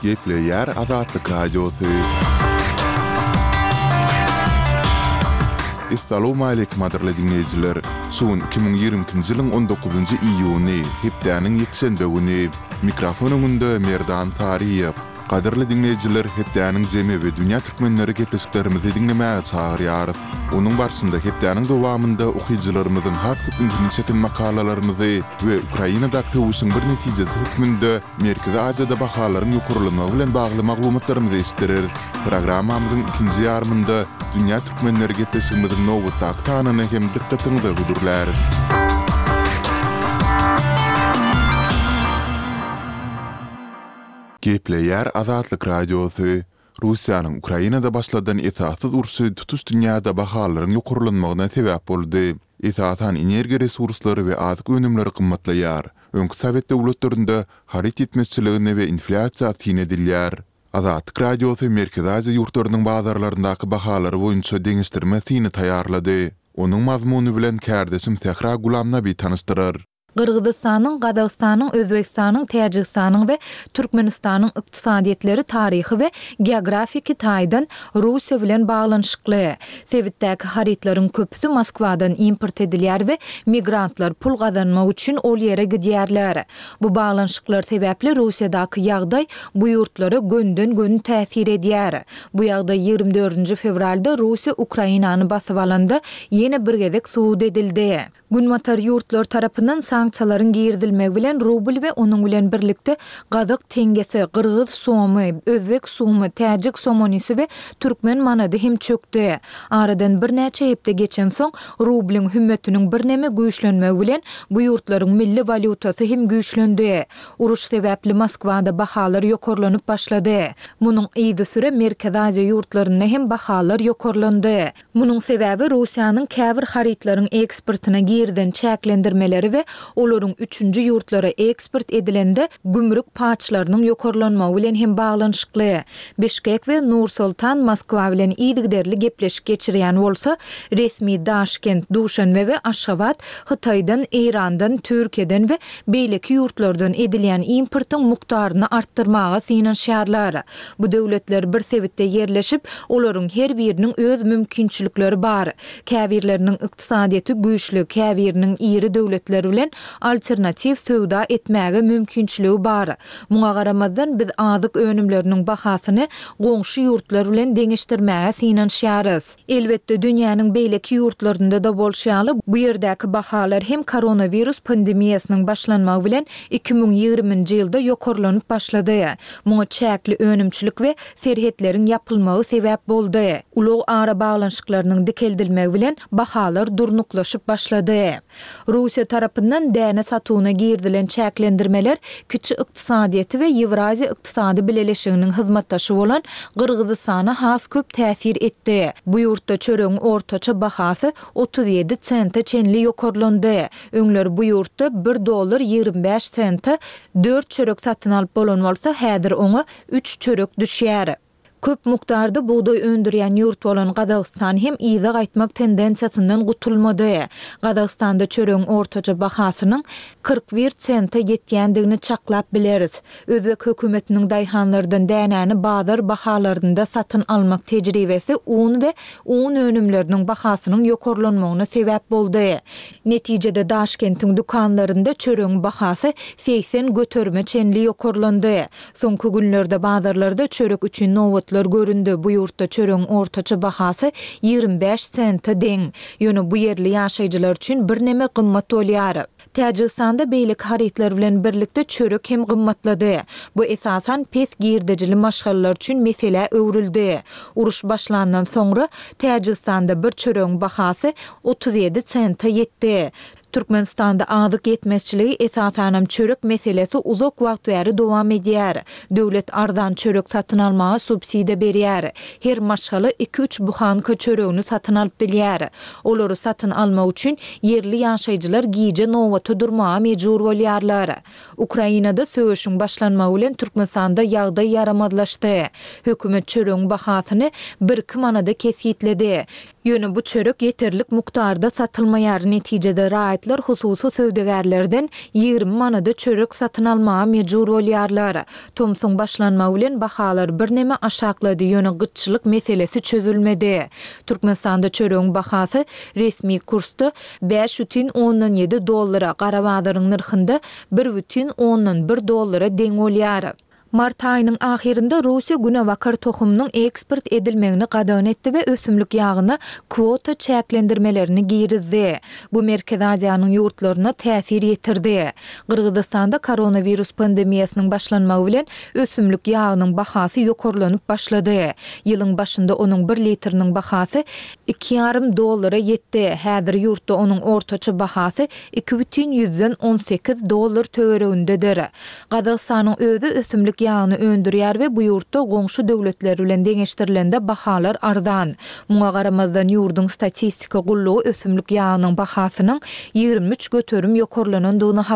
Gepleýär Azatlyk Radiosy. Essalawmaleýkim gadyrly diňleýjiler! Şu gün 2022-nji ýylyň on dokuzynjy iýuny, hepdäniň ýekşenbe güni. Mikrofon öňünde Merdan Saryýew. Gadyrly diňleýjiler, hepdäniň jemi we dünýä türkmenleri gepleşiklerimizi diňlemäge çagyrýarys. Onuň barşynda hepdäniň dowamynda okyjylarymyzyň has köp ünsüni çeken makalalarymyzy we Ukrainadaky söweşiň bir netijesi hökmünde Merkezi Aziýada bahalaryň ýokarlanmagy bilen bagly maglumatlarymyzy eşitdireris. Programmamyzyň ikinji ýarymynda Dünýä türkmenleri gepleşigimiziň nobatdaky sanyny hem dykgatyňyza hödürläris. Gepleýär Azatlyk Radiosy, Russiýanyň Ukrainada başladan esassyz urşy tutuş dünýäde bahalaryň ýokarlanmagyna sebäp boldy. Esasan energiýa resurslary we azyk önümleri gymmatlaýar. Öňki sowet döwletlerinde haryt ýetmezçiligine we inflýasiýa syn edilýär. Azatlyk Radiosy Merkezi Aziýa ýurtlarynyň bazarlaryndaky bahalary boýunça deňeşdirme syny taýýarlady. Onuň mazmuny bilen kärdeşim Sähra Gulamnabi tanyşdyrar. Gyrgyzystanyň, Gazagystanyň, Özbegistanyň, Täjigistanyň we Türkmenistanyň ykdysadyýetleri taryhy we geografiki taýdan Russiýa bilen baglanyşykly. Sebitdäki harytlaryň köpüsi Moskwadan import edilýär we migrantlar pul gazanmak üçin ol ýere gidýärler. Bu baglanyşyklar sebäpli Russiýadaky ýagdaý bu ýurtlara gönden-göni täsir edýär. Bu ýagdaý 24-nji fewralda Russiýa Ukrainany basyp alanda ýene bir gezek subut edildi. Günbatar ýurtlar tarapyndan sanksiýalaryň girizilmegi bilen rubl we onuň bilen birlikde gazak teňňesi, gyrgyz somy, özbek sumy, täjik somonisi we türkmen manady hem çökdi. Aradan birnäçe hepde geçensoň, rublyň hümmetiniň birneme güýçlenmegi bilen bu ýurtlaryň milli walýutasy hem güýçlendi. Uruş sebäpli Moskwada bahalar ýokarlanyp başlady. Munuň yzysüre Merkezi Aziýa ýurtlarynda hem bahalar ýokarlandy. Munuň sebäbi Russiýanyň käbir harytlaryň eksportyna girizen çäklendirmeleri we olaryň üçünji ýurtlara eksport edilende gümrük paçlarynyň ýokarlanmagy bilen hem baglanyşykly. Bişkek we Nur-Sultan Moskwa bilen yzygiderli gepleşik geçirýän bolsa, resmi Daşkent, Duşanbe we Aşgabat Hytaýdan, Eýrandan, Türkiýeden we beýleki ýurtlardan edilýän importyň mukdaryny artdyrmaga synanyşýarlar. Bu döwletler bir sebitde ýerleşip, olaryň her biriniň öz mümkinçilikleri bar. Käbirleriniň ykdysadyýeti güýçli, käbiriniň iri döwletler bilen alternatiw söwda etmäge mümkinçiligi bar. Muňa garamazdan, biz azyk önümleriniň bahasyny goňşy ýurtlar bilen deňeşdirmäge synanyşýarys. Elbetde, dünýäniň beýleki ýurtlarynda-da bolşy ýaly, bu ýerdäki bahalar hem koronawirus pandemiýasynyň başlanmagy bilen 2020-nji ýylda ýokarlanyp başlady. Muňa çäkli önümçilik we serhetleriň ýapylmagy sebäp boldy. Ulag arabaglanyşyklarynyň dikeldilmegi bilen bahalar durnuklaşyp başlady. Russiýa tarapyndan däne satuwyna girizilen çäklendirmeler kiçi ykdysadyýeti we Ýewraziýa ykdysady bileleşiginiň hyzmatdaşy bolan Gyrgyzystana has köp täsir etdi. Bu ýurtda çöregiň ortaça bahasy 37 sente çenli ýokarlandy. Öňler bu ýurtda bir dollar 25 sente dört çörek satyn alyp bolan bolsa, häzir oňa üç çörek düşýär. Köp mukdarda bugdaý öndürýän ýurt bolan Gazagystan hem yza gaýtmak tendensiýasyndan gutulmady. Gazagystanda çöregiň ortaça bahasynyň 41 sente ýetýändigini çaklap bileris. Özbek hökümetiniň daýhanlardan dänäni bazar bahalarynda satyn almak tejribesi un we un önümleriniň bahasynyň ýokarlanmagyna sebäp boldy. Netijede Daşkentiň dükanlarynda çöregiň bahasy 80 göterime çenli ýokarlandy. Soňky günlerde bazarlarda çörek üçin nobatlar göründi, bu ýurtda çöregiň ortaça bahasy 25 sente deň. Ýöne bu ýerli ýaşaýjylar üçin birneme gymmat bolýar. Täjigistanda beýleki harytlar bilen birlikde çörek hem gymmatlady. Bu esasan pes girdejili maşgalalar üçin meselä öwrüldi. Uruş başlandan soňra, Täjigistanda bir çöregiň bahasy 37 sente ýetdi. Türkmenistanda azyk ýetmezçiligi, esasanam çörek meselesi uzak wagt bäri dowam edýär. Döwlet arzan çörek satyn almaga subsidiýa berýär. Her maşgala iki-üç buhanka çöregini satyn alyp bilýär. Olary satyn almak üçin ýerli ýaşaýjylar gije nobata durmaga mejbur bolýarlar. Ukrainada söweşiň başlanmagy bilen Türkmenistanda ýagdaý ýaramazlaşdy. Hökümet çöregiň bahasyny birki manada kesgitledi. Ýöne bu çörek ýeterlik mukdarda satylmaýar, netijede raýatlar hususy söwdagärlerden 20 manada çörek satyn almaga mejbur bolýarlar. Tomsuň başlanmagy bilen bahalar birneme aşaklady, ýöne gytçylyk meselesi çözülmedi. Türkmenistanda çöregiň bahasy resmi kursda 5,7 dollara, gara bazaryň nyrhynda 1,1 dollara deň bolýar. Mart aýynyň ahyrynda Russiýa günebakar tohumynyň eksport edilmegini gadagan etdi we ösümlik ýagyna kwota çäklendirmelerini girizdi. Bu Merkezi Aziýanyň ýurtlaryna täsir ýetirdi. Gyrgyzystanda koronawirus pandemiýasynyň başlanmagy bilen ösümlik ýagynyň bahasy ýokarlanyp başlady. Ýylyň başynda onuň bir litriniň bahasy iki ýarym dollara ýetdi. Häzir ýurtda onuň ortaça bahasy 2,18 dollar töweregindedir. Gazagystanyň özi ösümlik ýagyny öndürýär we bu ýurtda goňşy döwletler bilen deňeşdirilende bahalar arzan. Muňa garamazdan ýurduň statistika gullugy ösümlik ýagynyň bahasynyň 23% ýokarlanandygyny habar.